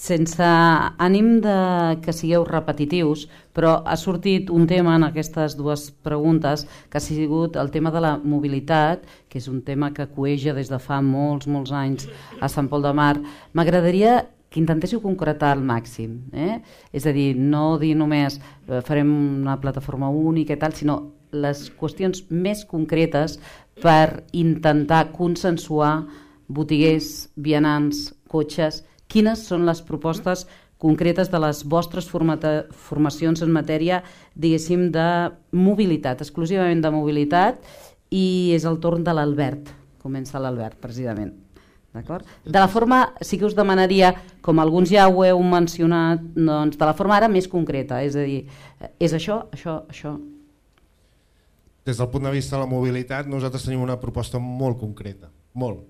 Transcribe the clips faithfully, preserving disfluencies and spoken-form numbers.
Sense ànim de que sigueu repetitius, però ha sortit un tema en aquestes dues preguntes que ha sigut el tema de la mobilitat, que és un tema que cueja des de fa molts, molts anys a Sant Pol de Mar. M'agradaria que intentéssiu concretar al màxim, eh? És a dir, no dir només eh, farem una plataforma única i tal, sinó les qüestions més concretes per intentar consensuar botiguers, vianants, cotxes. Quines són les propostes concretes de les vostres formacions en matèria, diguéssim, de mobilitat, exclusivament de mobilitat, i és el torn de l'Albert. Comença l'Albert, precisament. D'acord? De la forma, sí que us demanaria, com alguns ja ho heu mencionat, doncs, de la forma ara més concreta, és a dir, és això, això, això. Des del punt de vista de la mobilitat, nosaltres tenim una proposta molt concreta, molt,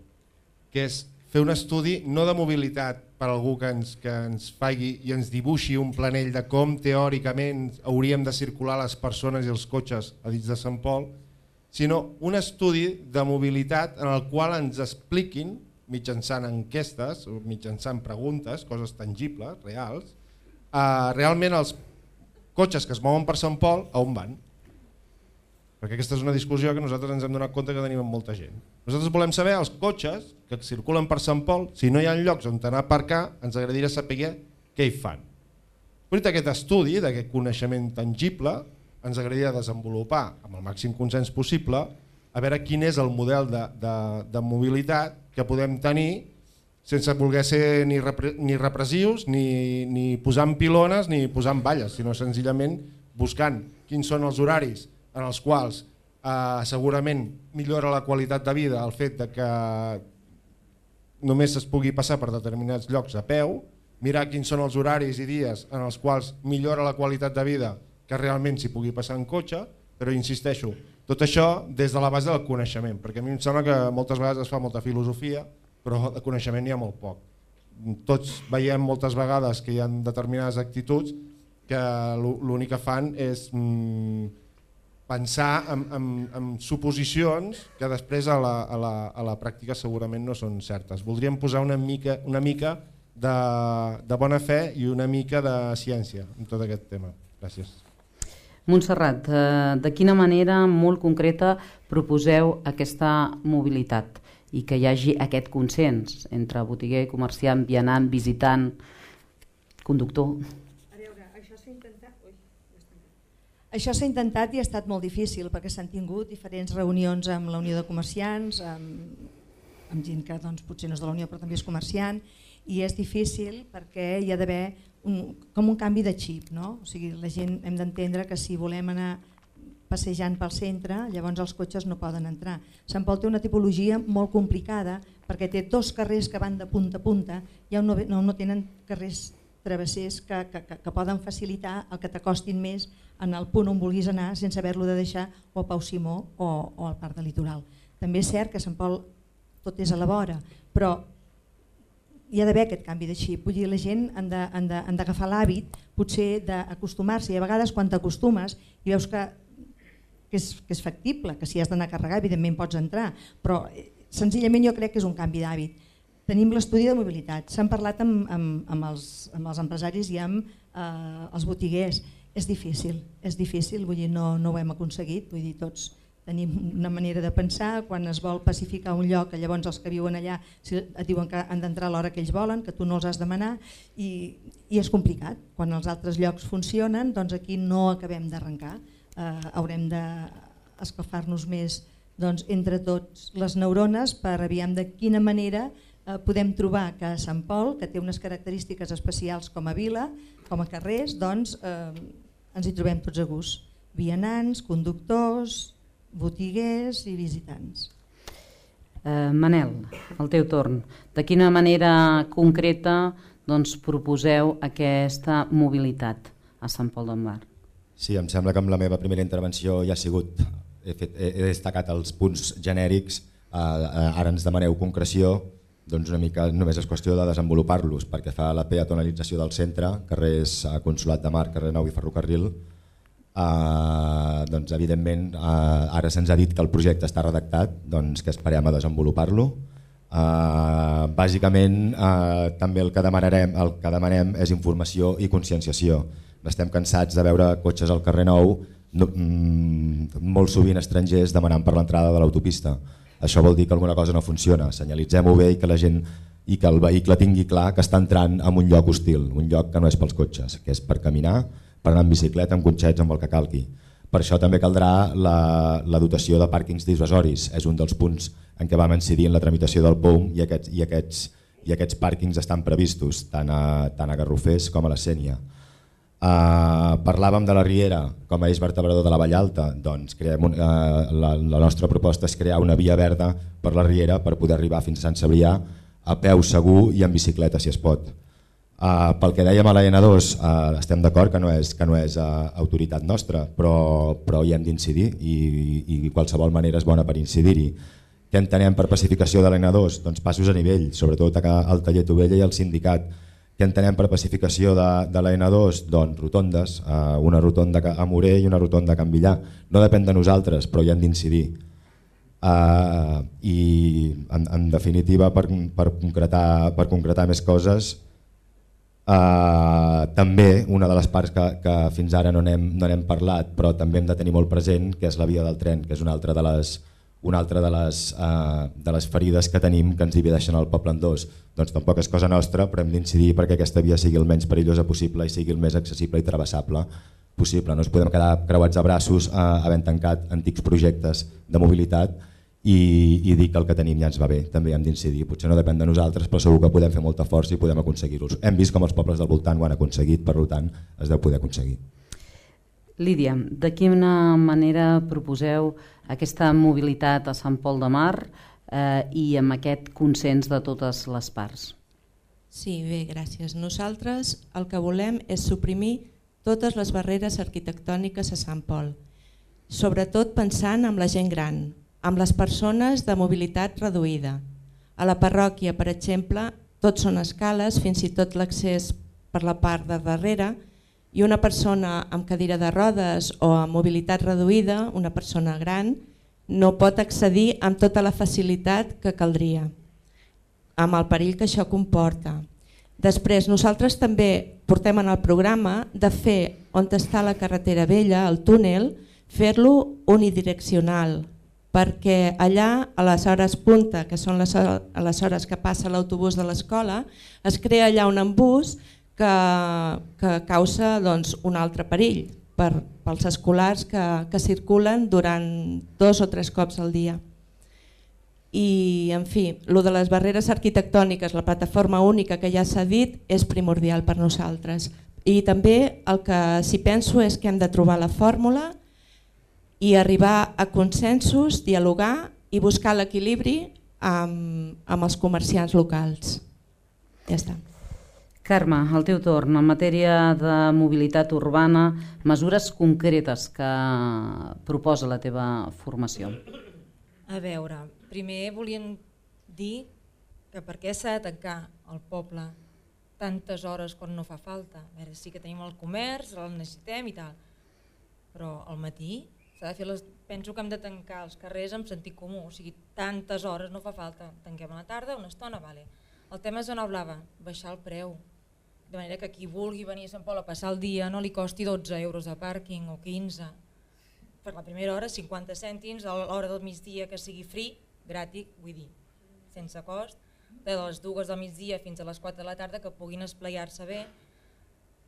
que és fer un estudi no de mobilitat per algú que ens, que ens faci i ens dibuixi un planell de com teòricament hauríem de circular les persones i els cotxes a dins de Sant Pol, sinó un estudi de mobilitat en el qual ens expliquin, mitjançant enquestes o mitjançant preguntes, coses tangibles, reals, eh, realment els cotxes que es mouen per Sant Pol a on van. Perquè aquesta és una discussió que nosaltres ens hem donat compte que tenim amb molta gent. Nosaltres volem saber els cotxes que circulen per Sant Pol, si no hi ha llocs on anar a aparcar, ens agradaria saber què hi fan. Fruit d'aquest estudi, d'aquest coneixement tangible, ens agradaria desenvolupar amb el màxim consens possible a veure quin és el model de, de, de mobilitat que podem tenir sense voler ser ni, repre, ni repressius, ni, ni posant pilones, ni posant valles, sinó senzillament buscant quins són els horaris en els quals eh, segurament millora la qualitat de vida el fet de que només es pugui passar per determinats llocs a peu, mirar quins són els horaris i dies en els quals millora la qualitat de vida que realment s'hi pugui passar en cotxe, però insisteixo, tot això des de la base del coneixement, perquè a mi em sembla que moltes vegades es fa molta filosofia, però de coneixement n'hi ha molt poc. Tots veiem moltes vegades que hi ha determinades actituds que l'únic que fan és mm, pensar en, en, en suposicions que després a la, a, la, a la pràctica segurament no són certes. Voldríem posar una mica, una mica de, de bona fe i una mica de ciència en tot aquest tema. Gràcies. Montserrat, de quina manera molt concreta proposeu aquesta mobilitat i que hi hagi aquest consens entre botiguer, comerciant, vianant, visitant, conductor? Això s'ha intentat i ha estat molt difícil perquè s'han tingut diferents reunions amb la Unió de Comerciants, amb, amb gent que doncs, potser no és de la Unió però també és comerciant, i és difícil perquè hi ha d'haver un, com un canvi de xip, no? O sigui, la gent hem d'entendre que si volem anar passejant pel centre, llavors els cotxes no poden entrar. Sant Pol té una tipologia molt complicada perquè té dos carrers que van de punta a punta i no, no, no tenen carrers travessers que, que, que, que poden facilitar el que t'acostin més en el punt on vulguis anar sense haver-lo de deixar o a Pau Simó o, o al Parc de Litoral. També és cert que Sant Pol tot és a la vora, però hi ha d'haver aquest canvi de xip. Vull dir, la gent han d'agafar l'hàbit potser d'acostumar-s'hi, i a vegades quan t'acostumes i veus que, que, és, que és factible, que si has d'anar a carregar evidentment pots entrar, però senzillament jo crec que és un canvi d'hàbit. Tenim l'estudi de mobilitat, s'han parlat amb, amb, amb, els, amb els empresaris i amb eh, els botiguers. És difícil, és difícil, vull dir, no, no ho hem aconseguit, vull dir, tots tenim una manera de pensar, quan es vol pacificar un lloc, llavors els que viuen allà et diuen que han d'entrar a l'hora que ells volen, que tu no els has de demanar, i, i és complicat. Quan els altres llocs funcionen, doncs aquí no acabem d'arrencar, eh, haurem d'escalfar-nos més doncs, entre tots les neurones per aviam de quina manera podem trobar que a Sant Pol, que té unes característiques especials com a vila, com a carrers, doncs eh, ens hi trobem tots a gust. Vianants, conductors, botiguers i visitants. Eh, Manel, el teu torn. De quina manera concreta doncs, proposeu aquesta mobilitat a Sant Pol de Mar? Sí, em sembla que amb la meva primera intervenció ja ha sigut, he, fet, he destacat els punts genèrics, eh, ara ens demaneu concreció. Doncs una mica només és qüestió de desenvolupar-los perquè fa la peatonalització del centre, carrers Consolat de Mar, carrer Nou i Ferrocarril. Eh, doncs evidentment eh, ara se'ns ha dit que el projecte està redactat, doncs que esperem a desenvolupar-lo. Uh, bàsicament uh, també el que demanarem, el que demanem és informació i conscienciació. Estem cansats de veure cotxes al carrer Nou, no, mm, molt sovint estrangers demanant per l'entrada de l'autopista. Això vol dir que alguna cosa no funciona. Senyalitzem-ho bé i que la gent i que el vehicle tingui clar que està entrant en un lloc hostil, un lloc que no és pels cotxes, que és per caminar, per anar en bicicleta, amb cotxets, amb el que calgui. Per això també caldrà la, la dotació de pàrquings dissuasoris. És un dels punts en què vam incidir en la tramitació del P O U M i aquests, i aquests, i aquests pàrquings estan previstos tant a, tant a Garrofers com a la Sénia. Uh, parlàvem de la Riera com a eix vertebrador de la Vall Alta. Doncs creem un, uh, la, la nostra proposta és crear una via verda per la Riera per poder arribar fins a Sant Cebrià a peu segur i en bicicleta si es pot. Uh, pel que dèiem a la ena dos, uh, estem d'acord que no és, que no és uh, autoritat nostra, però, però hi hem d'incidir i, i qualsevol manera és bona per incidir-hi. Què entenem per pacificació de la ena dos? Doncs passos a nivell, sobretot al taller Tovella i al sindicat. Què entenem per pacificació de, de la ena dos? Doncs rotondes, uh, una rotonda a Morer i una rotonda a Can Villar. No depèn de nosaltres, però hi hem d'incidir. Uh, I en, en definitiva, per, per, concretar, per concretar més coses, Uh, també una de les parts que, que fins ara no n'hem no n'hem parlat però també hem de tenir molt present, que és la via del tren, que és una altra de les, una altra de les, uh, de les ferides que tenim que ens divideixen el poble en dos. Doncs tampoc és cosa nostra, però hem d'incidir perquè aquesta via sigui el menys perillosa possible i sigui el més accessible i travessable possible. No ens podem quedar creuats de braços uh, havent tancat antics projectes de mobilitat I, i dir que el que tenim ja ens va bé, també hem d'incidir. Potser no depèn de nosaltres, però segur que podem fer molta força i podem aconseguir-los. Hem vist com els pobles del voltant ho han aconseguit, per tant es deu poder aconseguir. Lídia, de quina manera proposeu aquesta mobilitat a Sant Pol de Mar eh, i amb aquest consens de totes les parts? Sí, bé, gràcies. Nosaltres el que volem és suprimir totes les barreres arquitectòniques a Sant Pol, sobretot pensant en la gent gran, amb les persones de mobilitat reduïda. A la parròquia, per exemple, tots són escales, fins i tot l'accés per la part de darrere, i una persona amb cadira de rodes o amb mobilitat reduïda, una persona gran, no pot accedir amb tota la facilitat que caldria, amb el perill que això comporta. Després, nosaltres també portem en el programa de fer on està la carretera vella, el túnel, fer-lo unidireccional, perquè allà a les hores punta, que són les, a les hores que passa l'autobús de l'escola, es crea allà un embús que, que causa doncs, un altre perill per, pels escolars que, que circulen durant dos o tres cops al dia. I, en fi, lo de les barreres arquitectòniques, la plataforma única que ja s'ha dit, és primordial per nosaltres. I també el que si penso és que hem de trobar la fórmula i arribar a consensos, dialogar i buscar l'equilibri amb, amb els comerciants locals. Ja està. Carme, al teu torn, en matèria de mobilitat urbana, mesures concretes que proposa la teva formació. A veure, primer volíem dir que per què s'ha de tancar el poble tantes hores quan no fa falta. A veure, sí que tenim el comerç, el necessitem i tal, però al matí s'ha de fer les... penso que hem de tancar els carrers amb sentit comú, o sigui, tantes hores no fa falta, tanquem a la tarda, una estona, vale. El tema és zona blava, baixar el preu, de manera que qui vulgui venir a Sant Pol a passar el dia no li costi dotze euros de pàrquing o quinze. Per la primera hora, cinquanta cèntims, a l'hora del migdia que sigui free, gratis, vull dir, sense cost, de les dues del migdia fins a les quatre de la tarda que puguin esplaiar-se bé.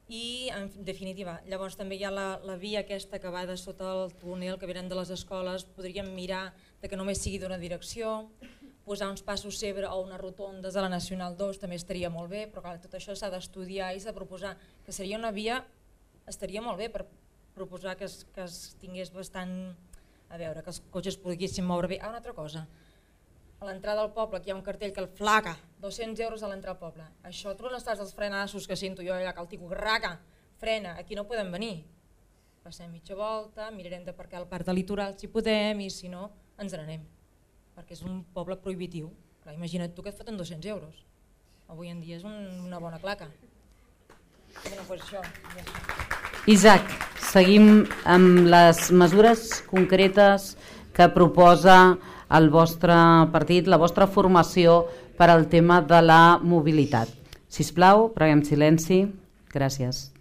I en definitiva, llavors també hi ha la, la via aquesta que va de sota el túnel, que venen de les escoles, podríem mirar de que només sigui d'una direcció, posar uns passos zebra o unes rotondes a la Nacional dos també estaria molt bé, però clar, tot això s'ha d'estudiar i s'ha de proposar, que seria una via, estaria molt bé per proposar que es, que es tingués bastant, a veure, que els cotxes poguessin moure bé. Ah, una altra cosa, a l'entrada del poble, aquí hi ha un cartell que el flaca, dos-cents euros a l'entrada al poble. Això tu no estàs dels frenassos que sento jo allà, que el tico raca, frena, aquí no podem venir. Passem mitja volta, mirarem d'aparcar al parc de litoral si podem i si no ens n'anem, perquè és un poble prohibitiu. Clar, imagina't tu que et foten dos-cents euros. Avui en dia és un, una bona claca. Bueno, pues això, ja està. Isaac, seguim amb les mesures concretes que proposa el vostre partit, la vostra formació per al tema de la mobilitat. Sisplau, preguem silenci. Gràcies.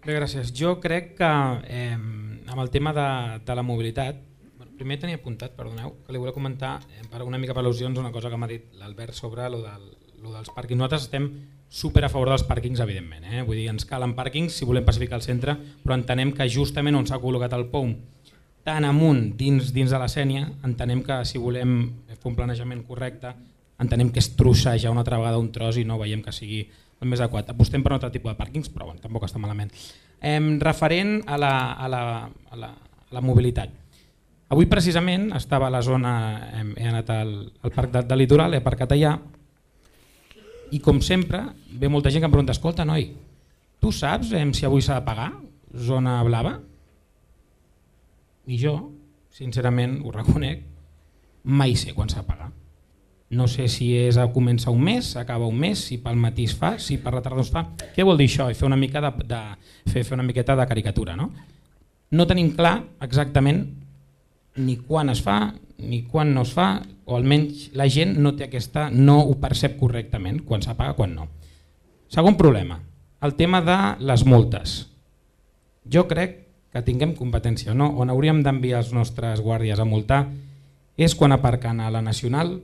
Bé, gràcies. Jo crec que eh, amb el tema de, de la mobilitat, bueno, primer tenia apuntat, perdoneu, que li volia comentar eh, per una mica per al·lusions una cosa que m'ha dit l'Albert sobre lo del, lo dels pàrquings. Nosaltres estem super a favor dels pàrquings, evidentment. Eh? Vull dir, ens calen pàrquings si volem pacificar el centre, però entenem que justament on s'ha col·locat el P O U tan amunt dins, dins de la Sénia, entenem que si volem fer un planejament correcte, entenem que és trossejar una altra vegada un tros i no veiem que sigui el més adequat. Apostem per un altre tipus de pàrquings, però bueno, tampoc està malament. Eh, referent a la, a, la, a, la, a la mobilitat. Avui precisament estava a la zona, he, he anat al, al parc del, del litoral, he aparcat allà, i com sempre ve molta gent que em pregunta, escolta noi, tu saps eh, si avui s'ha de pagar zona blava? I jo, sincerament, ho reconec, mai sé quan s'ha de pagar. No sé si és a començar un mes, acaba un mes, si pel matí es fa, si per la tarda es fa. Què vol dir això? I fer una mica de, de, fer, fer una miqueta de caricatura. No? no tenim clar exactament ni quan es fa, ni quan no es fa, o almenys la gent no té aquesta, no ho percep correctament, quan s'apaga, quan no. Segon problema, el tema de les multes. Jo crec que tinguem competència o no, on hauríem d'enviar els nostres guàrdies a multar és quan aparquen a la Nacional,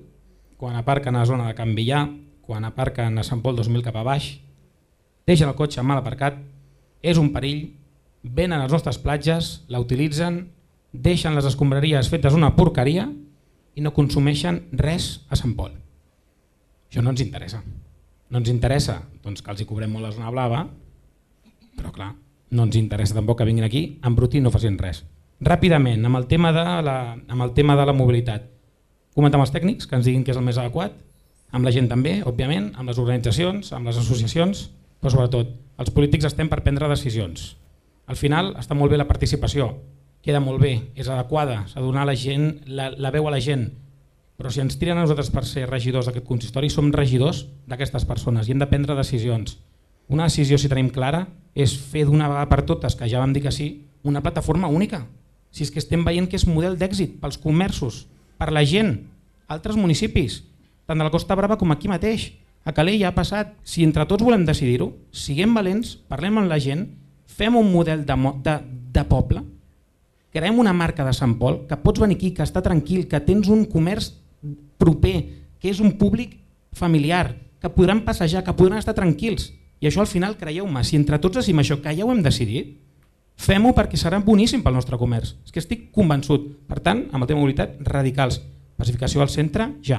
quan aparquen a la zona de Can Villà, quan aparquen a Sant Pol dos mil cap a baix, deixen el cotxe mal aparcat, és un perill, venen a les nostres platges, la utilitzen, deixen les escombraries fetes una porqueria i no consumeixen res a Sant Pol. Això no ens interessa. No ens interessa doncs, que els hi cobrem molt la zona blava, però clar, no ens interessa tampoc que vinguin aquí, embrutir i no facin res. Ràpidament, amb el tema de la, amb el tema de la mobilitat. Comentar amb els tècnics que ens diguin què és el més adequat, amb la gent també, òbviament, amb les organitzacions, amb les associacions, però sobretot els polítics estem per prendre decisions. Al final està molt bé la participació, queda molt bé, és adequada, s'ha de donar la, gent, la, la veu a la gent, però si ens tiren a nosaltres per ser regidors d'aquest consistori, som regidors d'aquestes persones i hem de prendre decisions. Una decisió, si tenim clara, és fer d'una vegada per totes, que ja vam dir que sí, una plataforma única. Si és que estem veient que és model d'èxit pels comerços, per la gent, altres municipis, tant de la Costa Brava com aquí mateix. A Calella ha passat. Si entre tots volem decidir-ho, siguem valents, parlem amb la gent, fem un model de, de, de poble, creem una marca de Sant Pol, que pots venir aquí, que està tranquil, que tens un comerç proper, que és un públic familiar, que podran passejar, que podran estar tranquils. I això al final, creieu-me, si entre tots decidim això, que ja ho hem decidit, fem-ho perquè serà boníssim pel nostre comerç. És que estic convençut. Per tant, amb el tema de mobilitat, radicals. Pacificació al centre, ja.